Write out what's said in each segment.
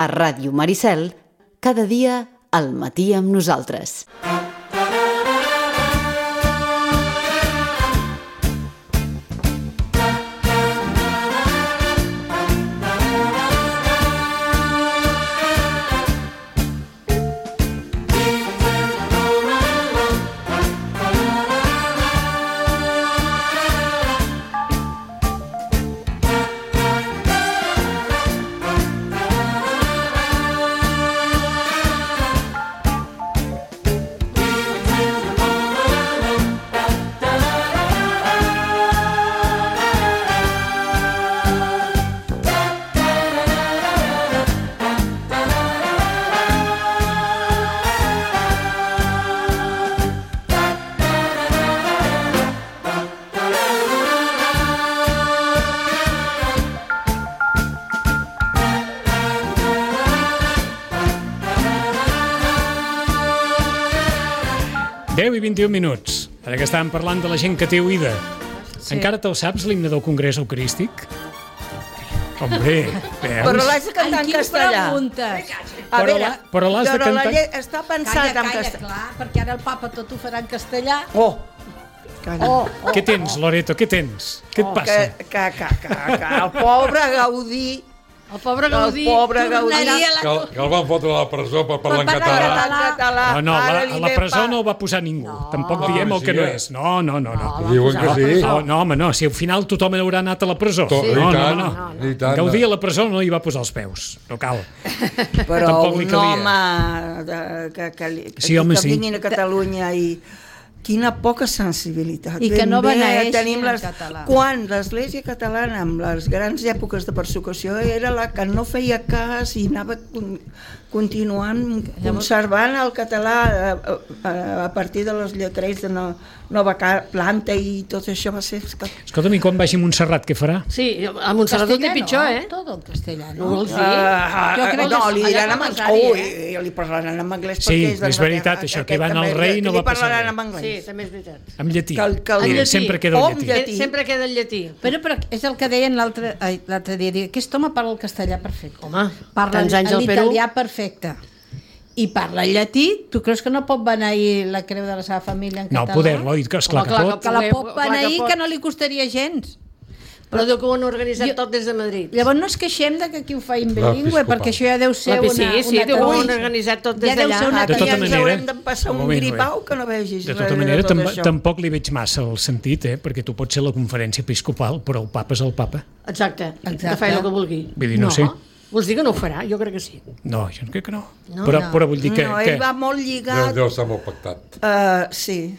A Ràdio Maricel, cada dia al matí amb nosaltres. I 21 minuts. Ara que estàvem parlant de la gent que té oïda. Sí. Encara te'l saps, l'himne del Congrés Eucarístic? Hombre, veus? Però l'has de cantar en castellà. A veure, però l'has de cantar... Està pensat en castellà. Clar, perquè ara el papa tot ho farà en castellà. Calla. Què tens, Loreto, què tens? Què et passa? Que el pobre Gaudí... El pobre Gaudí tornaria que el van fotre a la presó per parlar en català. No, a la presó no el va posar ningú. Tampoc diem el que no és. No. Diuen que sí. No, home, no. Si al final tothom haurà anat a la presó. No. Gaudí a la presó no hi va posar els peus. No cal. Però un home que vinguin a Catalunya i... Quina poca sensibilitat. I que no beneeixi tenim en català. Quan l'Església catalana, amb les grans èpoques de persecució, era la que no feia cas i anava continuant conservant el català a partir de les lletres de nova planta i tot això va ser... Escolta'm, i quan vagi a Montserrat, què farà? Sí, a Montserrat ho té pitjor, Tot el castellà, no vols dir? No, li diran en anglès. Li parlaran en anglès. Sí, és veritat, això, que van al rei no va passar res. Sí, també és veritat. En llatí. Sempre queda el llatí. Sempre queda el llatí. Però és el que deien l'altre dia. Aquest home parla el castellà perfecte. Home, parla l'italià perfecte. I parla llatí, tu creus que no pot beneir la creu de la seva família en català? No, poder-lo, esclar que pot. Que la pot beneir, que no li costaria gens. Però diu que ho han organitzat tot des de Madrid. Llavors no es queixem de que aquí ho feim bilingüe, perquè això ja deu ser una... Sí, diu que ho han organitzat tot des d'allà. De tota manera... Haurem de passar un gripau que no vegis res de tot això. De tota manera, tampoc li veig massa el sentit, perquè tu pots ser la conferència episcopal, però el papa és el papa. Exacte. Que faci el que vulgui. Vull dir, no sé. Vols dir que no ho farà? Jo crec que sí. No, jo crec que no. Però vull dir que... No, ell va molt lligat... Deu estar molt pactat. Sí.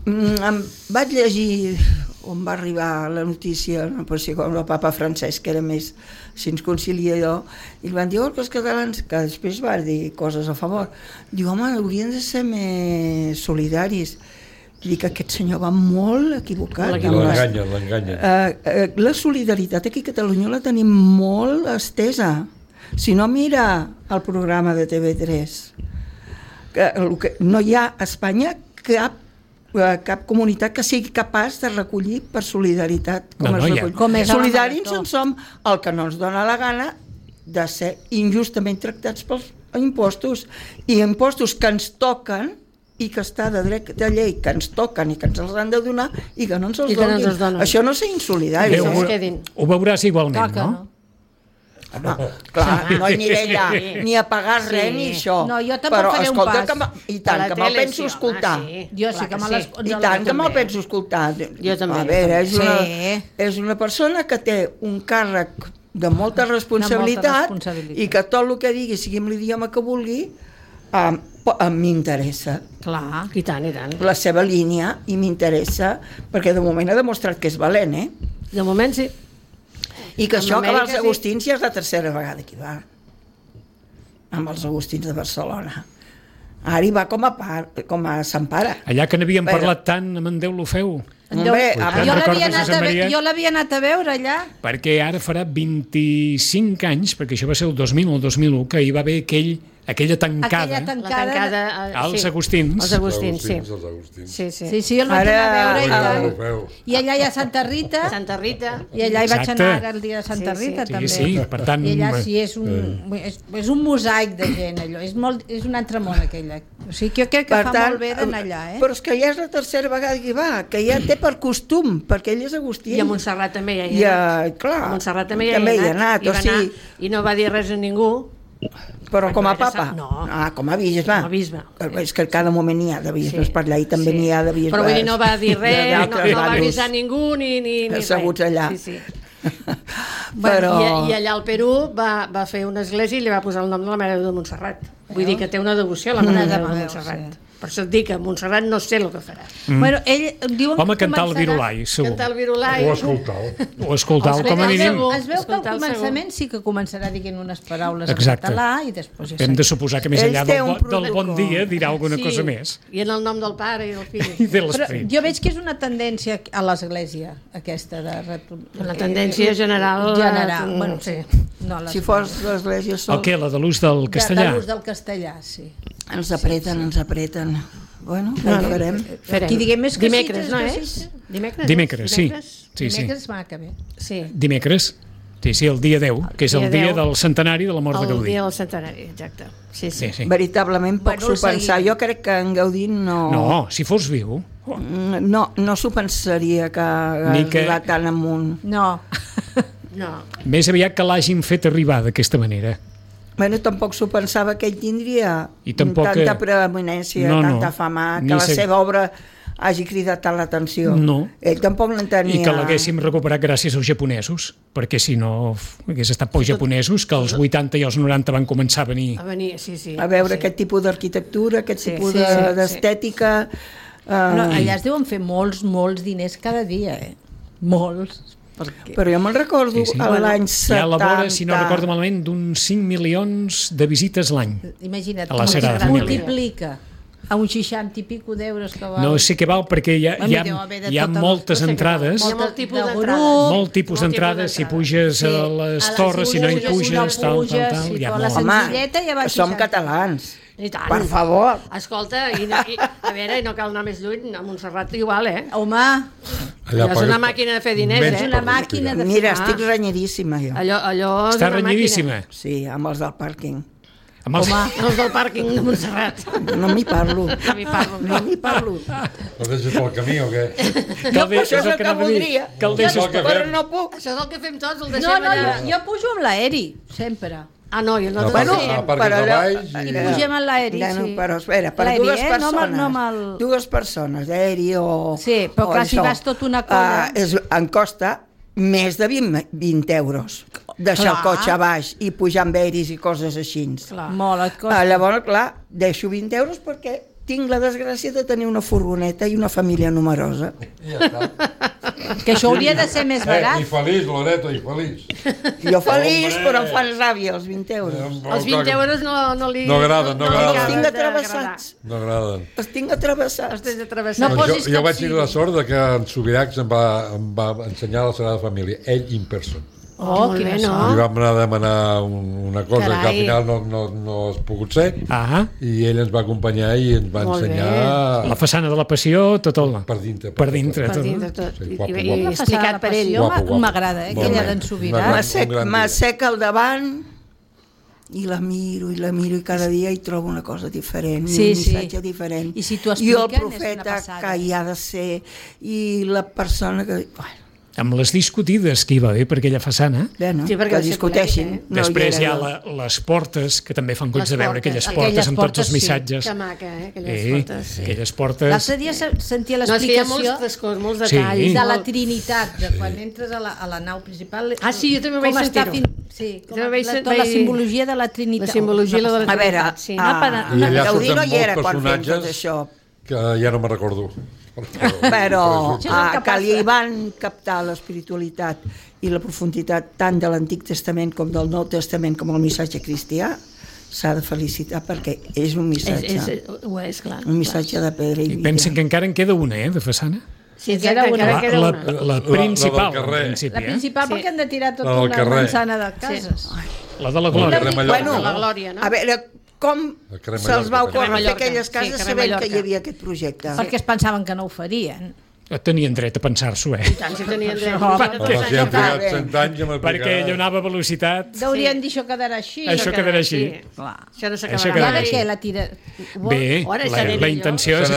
Vaig llegir on va arribar la notícia, no pot ser com el papa Francesc, que era més conciliador, i li van dir que els catalans, que després va dir coses a favor, diu, home, haurien de ser més solidaris. I dic que aquest senyor va molt equivocat. L'enganyen. La solidaritat aquí a Catalunya la tenim molt estesa. Si no, mira el programa de TV3. No hi ha a Espanya cap comunitat que sigui capaç de recollir per solidaritat solidaris en som el que no ens dona la gana de ser injustament tractats pels impostos, i impostos que ens toquen i que està de dret de llei, que ens toquen i que ens els han de donar i que no ens els donin. Això no és ser insolidari. Ho veuràs igualment, no? Clar, no aniré allà ni a pagar res ni això. No, jo tampoc faré un pas. I tant, que me'l penso escoltar. Jo sí que I tant, que me'l penso escoltar. Jo també. A veure, és una persona que té un càrrec de molta responsabilitat i que tot el que digui, sigui en l'idioma que vulgui, m'interessa. Clar, i tant. La seva línia, i m'interessa, perquè de moment ha demostrat que és valent, De moment sí. I que això que va als Agustins ja és la tercera vegada que hi va. Amb els Agustins de Barcelona. Ara hi va com a Sant Pare. Allà que n'havíem parlat tant amb en Déu l'Ofeu. Jo l'havia anat a veure allà. Perquè ara farà 25 anys, perquè això va ser el 2000 o el 2001, que hi va haver Aquella tancada als Agustins. Els Agustins, sí. Sí, jo el vaig anar a veure i allà hi ha Santa Rita. I allà hi vaig anar el dia de Santa Rita, també. Sí, per tant... I allà sí, és un mosaic de gent, allò. És un altre món, aquella. O sigui, jo crec que fa molt bé d'anar allà, Però és que ja és la tercera vegada que hi va, que ja té per costum, perquè ell és agustí. I a Montserrat també hi ha anat. Clar, a Montserrat també hi ha anat. I no va dir res a ningú. Però com a papa? No. Com a bisbe. Com a bisbe. És que cada moment hi ha de bisbes per allà i també n'hi ha de bisbes. Però vull dir, no va dir res, no va avisar ningú ni res. Asseguts allà. Sí. Però... I allà al Perú va fer una església i li va posar el nom de la Mare de Déu de Montserrat. Vull dir que té una devoció a la Mare de Déu de Montserrat. Per això et dic que Montserrat no sé el que farà. Bueno, ell diuen home, cantar el virulai, segur. Cantar el virulai. O escoltar-lo, com a mínim. Es veu que al començament sí que començarà dient unes paraules en català i després... Hem de suposar que més enllà del bon dia dirà alguna cosa més. I en el nom del pare i del fill. I de l'esperit. Però jo veig que és una tendència a l'Església, aquesta de... Una tendència general. Bueno, sí. Si fos l'Església sol... El què? La de l'ús del castellà? De l'ús del castellà, sí. Ens apreten. Bueno, ja ho farem. Qui diguem més que dimecres, sí, no és? Dimecres, sí. Dimecres va que bé. Dimecres, sí, el dia 10, que és el dia del centenari de la mort de Gaudí. El dia del centenari, exacte. Sí. Veritablement poc s'ho pensar. Jo crec que en Gaudí no... No, si fos viu... No s'ho pensaria que arribat tan amunt. No. Més aviat que l'hagin fet arribar d'aquesta manera. Bueno, tampoc s'ho pensava que ell tindria tanta preeminència, tanta fama, que la seva obra hagi cridat tant l'atenció. No. Ell tampoc l'entenia. I que l'haguéssim recuperat gràcies als japonesos, perquè si no hagués estat pels japonesos, que als 80 i als 90 van començar a venir. A veure aquest tipus d'arquitectura, aquest tipus d'estètica. Allà es deuen fer molts diners cada dia, Molts. Però jo me'n recordo l'any 70... Ja elabora, si no recordo malament, d'uns 5 milions de visites l'any. Imagina't, a la Sagrada Família. Multiplica a uns 60 i pico d'euros que val. No sé què val, perquè hi ha moltes entrades. Hi ha molt tipus d'entrades. Si puges a les torres, si no hi puges, tal. Home, som catalans. Per favor. Escolta, a veure, no cal anar més lluny, a Montserrat igual, Home, allò és una màquina de fer diners, És una màquina de fer... Mira, estic renyidíssima, jo. Allò és Està renyidíssima? Sí, amb els del pàrquing. Home, els del pàrquing de Montserrat. No m'hi parlo. No m'hi parlo. No deixes pel camí o què? Això és el que voldria. Però no puc. Això és el que fem tots, el deixem allà. Jo pujo amb l'aeri, sempre. No, jo no. Bueno, i pugem en l'aeri, sí. Però espera, per dues persones, d'aeri o... Sí, però clar, si vas tot una colla... Em costa més de 20 euros deixar el cotxe a baix i pujar amb aeris i coses així. Molt et costa. Llavors, clar, deixo 20 euros perquè tinc la desgràcia de tenir una furgoneta i una família numerosa. Ja està. Que això hauria de ser més barat. I feliç, Loreto, i feliç. Jo feliç, però em fan ràbia els 20 euros. Els 20 euros no li... No agraden. Els tinc atravessats. No agraden. Els tinc atravessats. Jo vaig tenir la sort que en Subiracs em va ensenyar la Sagrada Família, ell in person. Oh, que bé, no? Li vam anar a demanar una cosa que al final no has pogut ser, i ell ens va acompanyar i ens va ensenyar... La façana de la Passió, tot el... Per dintre. Per dintre, tot. I explicat per ell. M'agrada, aquella d'en Subirats. M'asseca al davant i la miro i cada dia hi trobo una cosa diferent, un missatge diferent. I si t'ho expliquen, i el profeta que hi ha de ser, i la persona que... Amb les discutides que hi va haver per aquella façana, que discuteixin. Després hi ha les portes, que també fan goig de veure aquelles portes amb tots els missatges. Que maca, aquelles portes. L'altre dia sentia l'explicació molts detalls de la Trinitat, de quan entres a la nau principal. Sí, jo també vaig sentir-ho. Sí, la simbologia de la Trinitat. La simbologia de la Trinitat. A veure, Gaudí no hi era quan fem tot això. Que ja no me'n recordo. Però que li van captar l'espiritualitat i la profunditat tant de l'Antic Testament com del Nou Testament com el missatge cristià, s'ha de felicitar perquè és un missatge. És clar. Un missatge de pedra i vida. I pensen que encara en queda una, de façana? Sí, encara queda una. La principal, La principal perquè han de tirar tota una manzana de cases. La de la Glòria. Bueno, a veure, com se'ls va ocórrer fer aquelles cases sabent que hi havia aquest projecte. Perquè es pensaven que no ho farien. Tenien dret a pensar-s'ho, I tant, si tenien dret. Si han trigat 100 anys ja m'aplicarà. Perquè ella anava a velocitat. Deurien dir això quedarà així. Això quedarà així. Això no s'acabarà. I ara què, la tira... Bé, la intenció és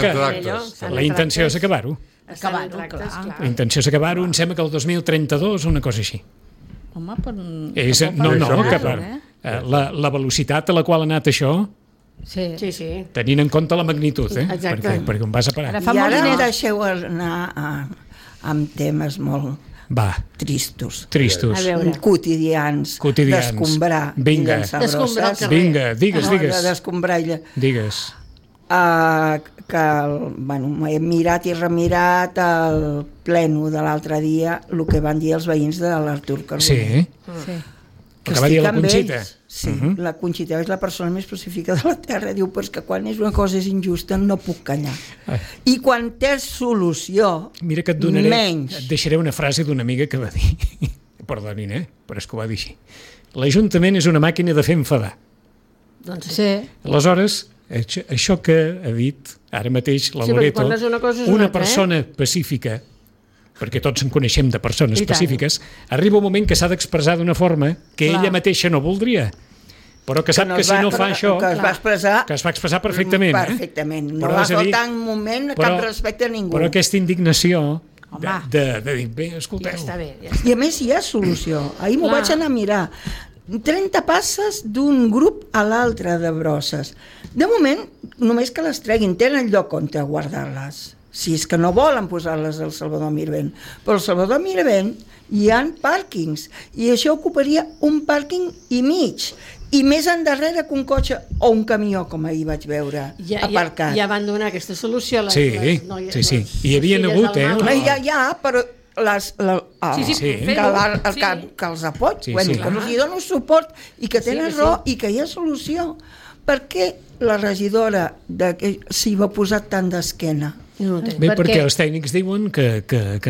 acabar-ho. Acabar-ho, clar. La intenció és acabar-ho, em sembla que el 2032 o una cosa així. Home, per... La velocitat a la qual ha anat això... Sí. Tenint en compte la magnitud, perquè on vas a parar. I ara deixeu anar amb temes molt tristos, quotidians, d'escombrar i llançar brosses. Vinga, digues. D'escombrar i digues. Que he mirat i remirat el pleno de l'altre dia el que van dir els veïns de l'Artur Carbonell. Sí. Que va dir la Conxita. Sí, la Conxita és la persona més pacífica de la Terra. Diu, però és que quan és una cosa és injusta no puc callar. I quan té solució, mira que et donaré, et deixaré una frase d'una amiga que va dir, perdonin, però és que ho va dir així: l'Ajuntament és una màquina de fer enfadar. Doncs sí. Aleshores, això que ha dit ara mateix la Loreto, una persona pacífica, perquè tots en coneixem de persones pacífiques, arriba un moment que s'ha d'expressar d'una forma que ella mateixa no voldria, però que sap que si no fa això, que es va expressar perfectament. Perfectament, no va faltar un moment cap respecte a ningú. Però aquesta indignació de dir, bé, escolteu. I a més hi ha solució. Ahir m'ho vaig anar a mirar. 30 passes d'un grup a l'altre de brosses. De moment, només que les treguin, tenen lloc on guardar-les. Si és que no volen posar-les al Salvador Mirvent. Però al Salvador Mirvent hi ha pàrquings i això ocuparia un pàrquing i mig. I més endarrere que un cotxe o un camió, com ahir vaig veure, aparcat. Ja van donar aquesta solució. Sí. Hi havia hagut, Ja, però que els apoig, que els hi dono suport i que tenen raó i que hi ha solució. Per què la regidora s'hi va posar tant d'esquena? Bé, perquè els tècnics diuen que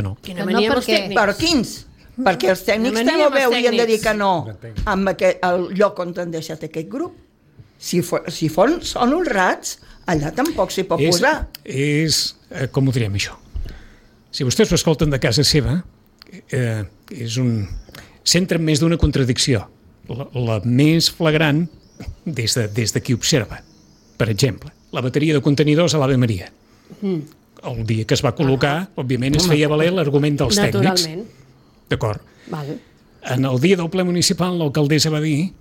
no. Però quins? Perquè els tècnics també haurien de dir que no amb el lloc on han deixat aquest grup. Si són honrats, allà tampoc s'hi pot posar. Com ho direm, això? Si vostès ho escolten de casa seva, s'entra en més d'una contradicció. La més flagrant des de qui observa. Per exemple, la bateria de contenidors a l'Ave Maria. El dia que es va col·locar, òbviament es feia valer l'argument dels tècnics. D'acord. En el dia del ple municipal l'alcaldessa va dir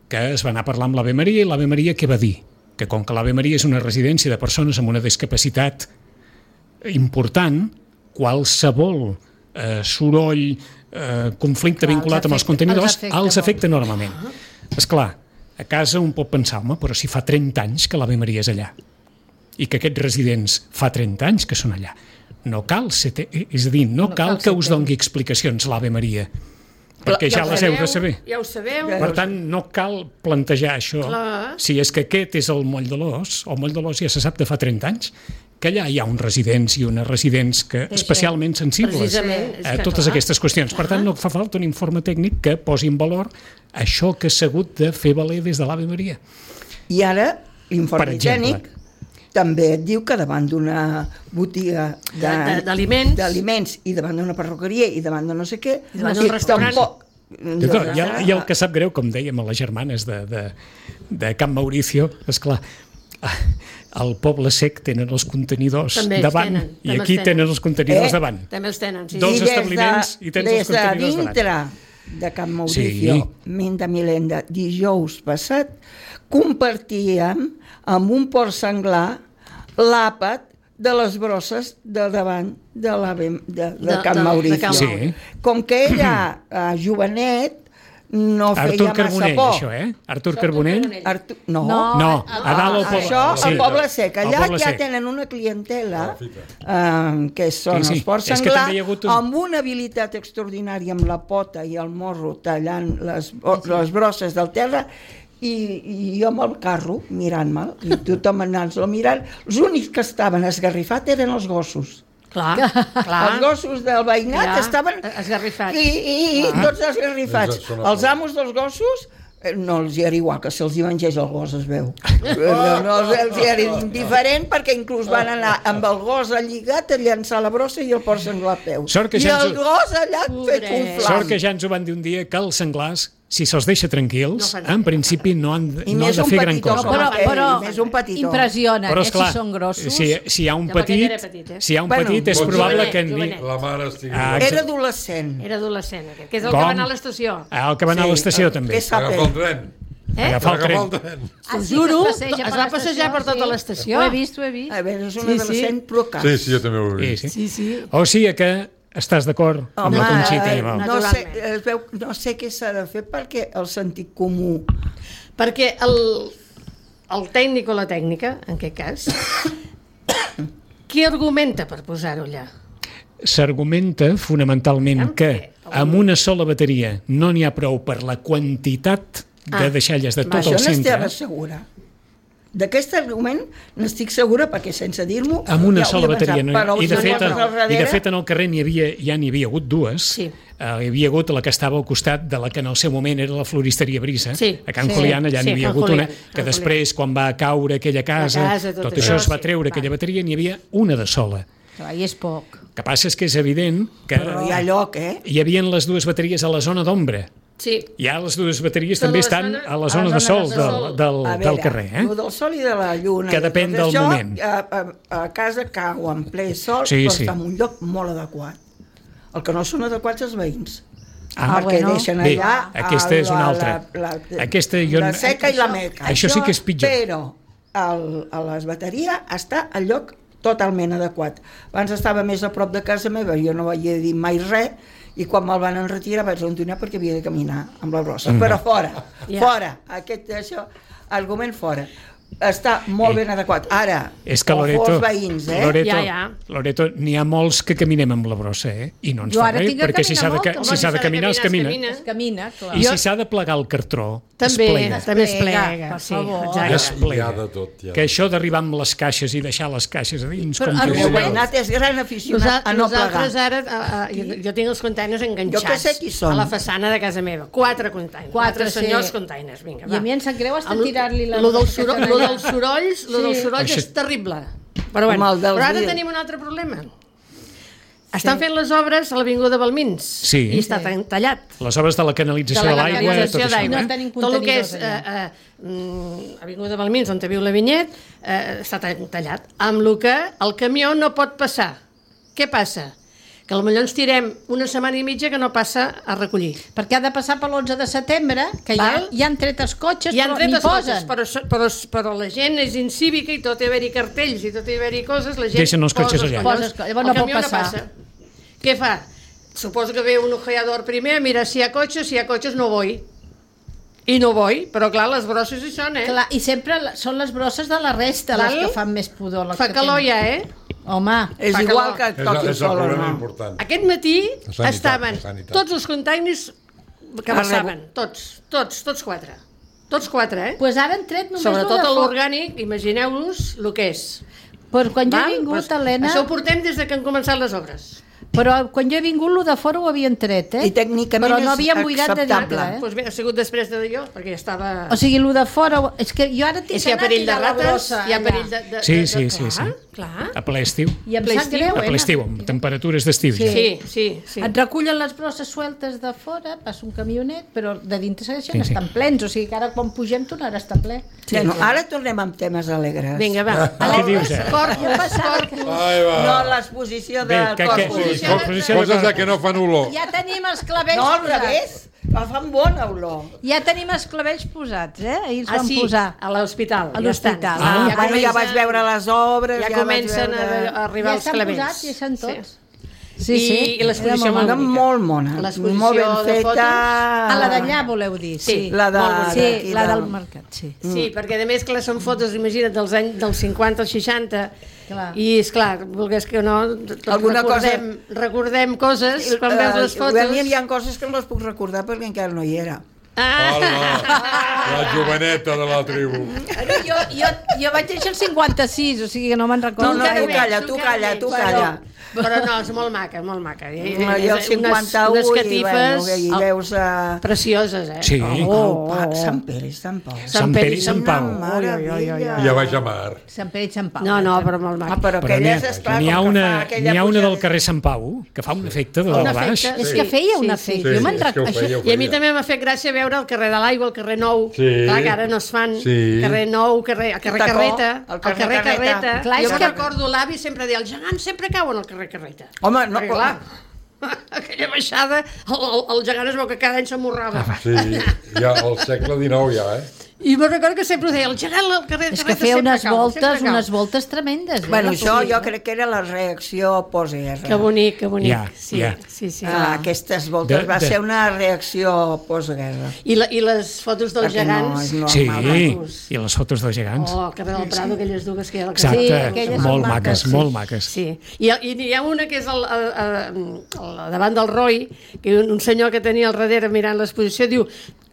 que es va anar a parlar amb l'Ave Maria i l'Ave Maria què va dir? Que com que l'Ave Maria és una residència de persones amb una discapacitat important, qualsevol soroll, conflicte vinculat amb els contenidors els afecta enormement. Esclar, a casa un pot pensar, home, però si fa 30 anys que l'Ave Maria és allà i que aquests residents fa 30 anys que són allà. No cal, és a dir, no cal que us doni explicacions l'Ave Maria, perquè ja les heu de saber. Ja ho sabeu. Per tant, no cal plantejar això. Si és que aquest és el Moll de l'Os, el Moll de l'Os ja se sap de fa 30 anys, que allà hi ha uns residents i unes residents especialment sensibles a totes aquestes qüestions. Per tant, no fa falta un informe tècnic que posi en valor això que s'ha hagut de fer valer des de l'Ave Maria. I ara, l'informe tècnic també et diu que davant d'una botiga d'aliments i davant d'una perruqueria i davant de no sé què, i davant d'un restaurant, i el que sap greu, com dèiem a les germanes de Can Mauricio, esclar, al Poble Sec tenen els contenidors davant i aquí tenen els contenidors davant. També els tenen, sí. Dos establiments i tens els contenidors davant. Des de dintre de Can Mauricio, Minda Milenda, dijous passat, compartíem amb un porc senglar l'àpat de les brosses de davant de Can Mauricio. Com que ella, jovenet, no feia massa por. Això, Artur Carbonell? No, a dalt al Poble. Això al Poble Sec. Allà ja tenen una clientela que són els porcs senglar amb una habilitat extraordinària amb la pota i el morro tallant les brosses del terra i jo amb el carro mirant-me'l i tothom anant-lo mirant. Els únics que estaven esgarrifats eren els gossos. Clar. Els gossos del veïnat estaven esgarrifats i tots esgarrifats. Els amos dels gossos no els hi era igual, que se'ls hi mengés el gos es veu. No els hi era indiferent, perquè inclús van anar amb el gos lligat a llançar la brossa i el porc senglar a peu. I el gos allà fet un flam. Sort que ja ens ho van dir un dia, que els senglars, si se'ls deixa tranquils, en principi no han de fer gran cosa. Però impressiona, si són grossos. Si hi ha un petit, és probable que... La mare estigui... Era adolescent. Que és el que va anar a l'estació. El que va anar a l'estació, també. Agafar el tren. Agafar el tren. T'ho juro, es va passejar per tota l'estació. Ho he vist. A veure, és un adolescent procat. Sí, jo també ho he vist. O sigui que estàs d'acord amb la Conxita? No sé què s'ha de fer perquè el sentit comú... Perquè el tècnic o la tècnica, en aquest cas, qui argumenta per posar-ho allà? S'argumenta fonamentalment que amb una sola bateria no n'hi ha prou per la quantitat de deixalles de tot el centre. Això n'estic segura. D'aquest argument n'estic segura, perquè sense dir-m'ho... Amb una sola bateria. I de fet en el carrer ja n'hi havia hagut dues. Hi havia hagut la que estava al costat de la que en el seu moment era la floristeria Brisa. A Can Julián allà n'hi havia hagut una, que després, quan va caure aquella casa, tot això es va treure, aquella bateria, n'hi havia una de sola. I és poc. El que passa és que és evident que hi ha lloc, hi havia les dues bateries a la zona d'ombra. Sí. Ja les dues bateries també estan a la zona de sol del carrer. El del sol i de la lluna. Que depèn del moment. A casa cau en ple sol, però està en un lloc molt adequat. El que no són adequats els veïns. Perquè deixen allà... Aquesta és una altra. La seca i la meca. Això sí que és pitjor. Però a les bateries està al lloc totalment adequat. Abans estava més a prop de casa meva, jo no vaig dir mai res, i quan me'l van enretirar vaig abandonar perquè havia de caminar amb la brossa. Però fora, això, argument fora. Està molt ben adequat. Ara, és que Loreto, els veïns, Loreto, n'hi ha molts que caminem amb la brossa, i no ens fa res, perquè si s'ha de caminar, es camina. I si s'ha de plegar el cartró, també es plega. Es plega. Que això d'arribar amb les caixes i deixar les caixes a dins... El meu veïnat és gran aficionat a no plegar. Nosaltres ara, jo tinc els containers enganxats a la façana de casa meva. 4 containers. 4 senyors containers, vinga, va. I a mi em sap greu estar tirant-li la... Lo dels sorolls és terrible. Però ara tenim un altre problema. Estan fent les obres a l'Avinguda Balmins i està tallat. Les obres de la canalització de l'aigua, tot això. Tot el que és Avinguda Balmins, on viu la Vinyet, està tallat. Amb el que el camió no pot passar. Què passa? Que potser ens tirem una setmana i mitja que no passa a recollir. Perquè ha de passar per l'11 de setembre, que ja han tret els cotxes, però n'hi posen. Però la gent és incívica i tot hi haver-hi cartells i tot hi haver-hi coses, la gent deixen els cotxes allà. El camió no passa. Què fa? Suposo que ve un ojeador primer, mira si hi ha cotxes no vull. I no vull, però clar, les brosses hi són, Clar, i sempre són les brosses de la resta les que fan més pudor. Fa calor ja, Home, és igual que toqui el sol o no. Aquest matí estaven tots els containers que passaven, tots 4. Tots 4, Doncs ara han tret només sobretot l'orgànic, imagineu-vos el que és. Però quan jo he vingut, Helena... Això ho portem des que han començat les obres. Però quan jo he vingut, lo de fora ho havien tret, I tècnicament però no havien buidat de dintre, Doncs bé, ha sigut després de jo, perquè ja estava... O sigui, lo de fora... És que jo ara tinc que anar a tirar la brossa. Hi ha perill de rates, Sí. Clar. A ple estiu. I em sap greu, A ple estiu, amb temperatures d'estiu. Sí. Et recullen les brosses sueltes de fora, passa un camionet, però de dintre segueixen estan plens, o sigui que ara quan pugem tornarà a estar ple. Ara tornem amb temes alegres. Vinga, va. Què dius, Corpus. No, l'exposició del Corpus. Coses que no fan olor. Ja tenim els clavells posats. No, al revés. Fan bona olor. Ja tenim els clavells posats, Ahir els vam posar. A l'hospital. A l'hospital. Ja vaig veure les obres. Ja comencen a arribar els clavells. Ja estan posats, ja són tots. I l'exposició molt mona. Molt ben feta. A la d'allà, voleu dir? Sí, la del mercat, sí. Sí, perquè a més que són fotos, imagina't, dels anys dels 50 als 60, i esclar, volgués que no, recordem coses quan veus les fotos. Hi ha coses que no les puc recordar perquè encara no hi era. La joveneta de la tribu. Jo vaig néixer el 56, o sigui que no me'n recordo. No, tu calla. Però no, és molt maca, molt maca. Jo el 51 unes catifes i veus... precioses, Sí. Sant Pere i Sant Pau. Sant Pere i Sant Pau. I a baix a mar. Sant Pere i Sant Pau. No, però molt maca. Però aquelles, esclar, n'hi ha una del carrer Sant Pau que fa un efecte de dalt a baix. És que feia un efecte. Jo me'n recordo. I a mi també m'ha fet gràcia veure el carrer de l'Aigua, el carrer Nou, clar, que ara no es fan, carrer Nou, el carrer Carreta, el carrer Carreta. Jo me'n recordo, l'avi sempre deia, els gegants sempre cauen al carrer Carreta. Home, no, clar, aquella baixada, el gegant es veu que cada any s'amorrava. Sí, ja al segle XIX ja, I me'n recordo que sempre ho deia, el gegant al carrer És que feia unes voltes tremendes. Bueno, això jo crec que era la reacció postguerra. Que bonic, que bonic. Sí. Aquestes voltes va ser una reacció postguerra. I les fotos dels gegants. Sí, i les fotos dels gegants. Oh, el carrer del Prado, aquelles dues que hi ha al carrer. Exacte, molt maques, molt maques. Sí, i hi ha una que és davant del Roy, que un senyor que tenia al darrere mirant l'exposició diu,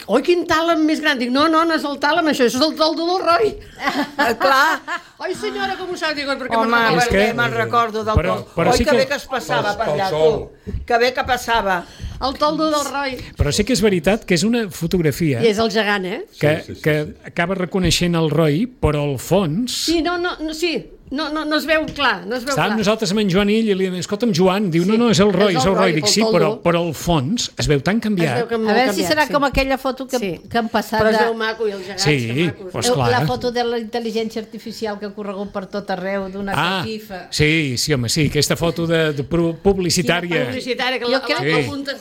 oi, quin tàlem més gran. Dic, no és el tàlem, això és el toldo del Roy. Clar. Oi, senyora, com ho sap? Dic, perquè me'n recordo del toldo. Oi, que bé que es passava per allà, tu. Que bé que passava. El toldo del Roy. Però sí que és veritat que és una fotografia... I és el gegant, que acaba reconeixent el Roy, però al fons... Sí, no es veu clar, Estàvem nosaltres amb en Joan i li diem, escolta'm, Joan, diu, no, és el Roy, Dic, sí, però al fons es veu tan canviat. A veure si serà com aquella foto que han passat... Però es veu maco i els gegants macos. Pues clar. La foto de la intel·ligència artificial que ha corregut per tot arreu, d'una catifa. Sí, home, sí, aquesta foto de publicitària.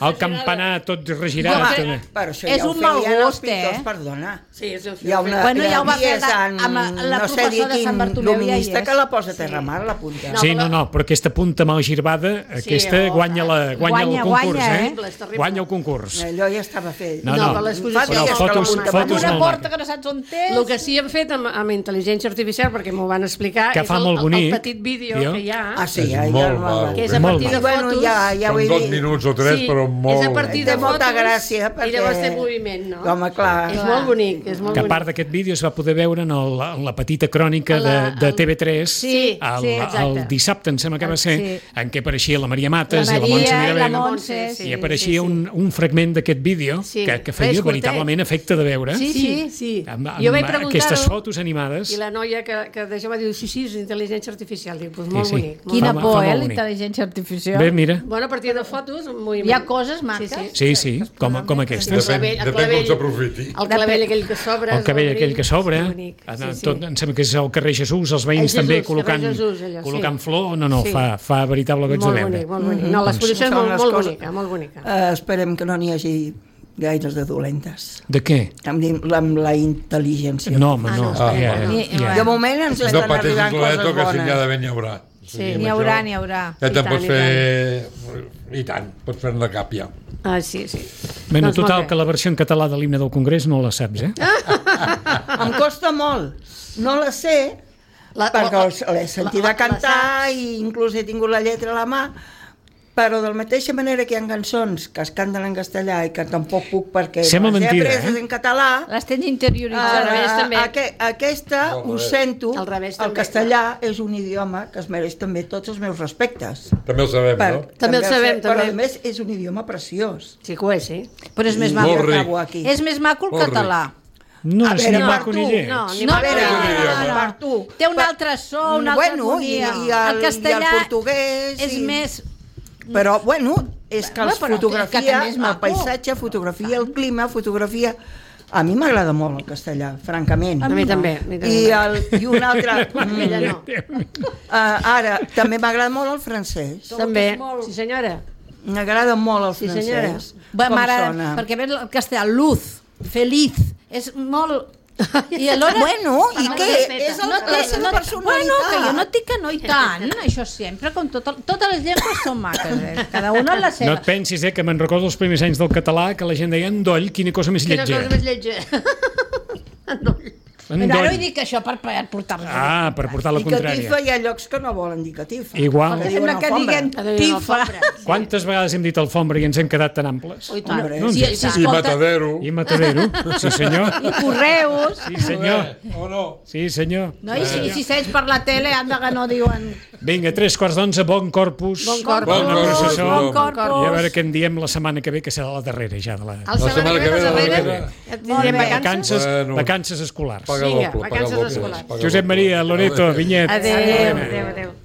El campanar tot regirat. Però això ja ho feien els pintors, perdona. Sí, és el film. Hi ha una amb la professora de Sant Bartomeu que la posa a terra mar, la punta. Sí, no, però aquesta punta mal girbada, aquesta guanya el concurs, Guanya el concurs. Allò ja estava fet. No, però fotos una porta que no saps on és. El que sí hem fet amb intel·ligència artificial, perquè m'ho van explicar, és el petit vídeo que hi ha. Que és a partir de fotos. Són 2 minuts o 3, però molt... És a partir de molta gràcia, i llavors té moviment, no? Home, clar. És molt bonic, és molt bonic. Que a part d'aquest vídeo es va poder veure en la petita crònica de TV3 el dissabte, em sembla que va ser, en què apareixia la Maria Mates i la Montse Mirabel, i apareixia un fragment d'aquest vídeo que feia veritablement efecte de veure. Sí. Jo vaig preguntar-ho. Aquestes fotos animades. I la noia que d'això va dir, sí, és intel·ligència artificial. Dic, doncs molt bonic. Quina por, la intel·ligència artificial. Bé, mira. Bueno, a partir de fotos, hi ha coses maques. Sí, com aquestes. Depèn com s'aprofiti. El cabell aquell que s'obre. El cabell aquell que s'obre. Em sembla que és el carrer Jesús, els veïns també col·locant flor. No, fa veritable goig de veure. Molt bonic. No, l'exposició és molt bonica. Esperem que no n'hi hagi gaires de dolentes. De què? Amb la intel·ligència. No, home, no. De moment ens estan arribant coses bones. Que si n'hi ha d'haver, n'hi haurà. Sí, n'hi haurà. Ja te'n pots fer... I tant, pots fer-ne cap ja. Sí. Bé, no, total, que la versió en català de l'himne del Congrés no la saps, Em costa molt. No la sé, perquè l'he sentida cantar i inclús he tingut la lletra a la mà, però de la mateixa manera que hi ha cançons que es canten en castellà i que tampoc puc perquè les he apreses en català, les tens interioritzades. Aquesta ho sento, el castellà és un idioma que es mereix també tots els meus respectes. També el sabem, no? També el sabem, però a més és un idioma preciós. Sí que ho és, sí. Però és més maco. És més maco el català. No, és ni maco ni lleig. No. Té un altre so, una altra harmonia. El castellà és més... Però, bueno, és que fotografia, el paisatge, fotografia, el clima, fotografia... A mi m'agrada molt el castellà, francament. A mi també. I un altre... Ara, també m'agrada molt el francès. També, sí senyora. M'agrada molt el francès. Com sona. Perquè ve el castellà, luz, feliz, és molt... I alhora... Bueno, i què? És la seva personalitat. Bueno, que jo no et dic que no i tant, això sempre, com totes les llengües són maques, cada una la seva. No et pensis, que me'n recordo els primers anys del català, que la gent deia endoll, quina cosa més lletja. Quina cosa més lletja. Endoll. Ara ho dic això per portar-me. Per portar la contrària. I catifa hi ha llocs que no volen dir catifa. Igual. Sembla que diguen tifa. Quantes vegades hem dit alfombra i ens hem quedat tan amples? I Matadero. I Matadero, sí senyor. I Correus. Sí senyor. O no? Sí senyor. No, i si segueix per la tele, anda que no diuen... Vinga, 3:15, bon corpus. Bon corpus. I a veure què en diem la setmana que ve, que serà la darrera ja. La setmana que ve, la darrera, tindrem vacances escolars. Paga doble. Vacances escolars. Josep Maria, Loreto, Vinyet. Adéu.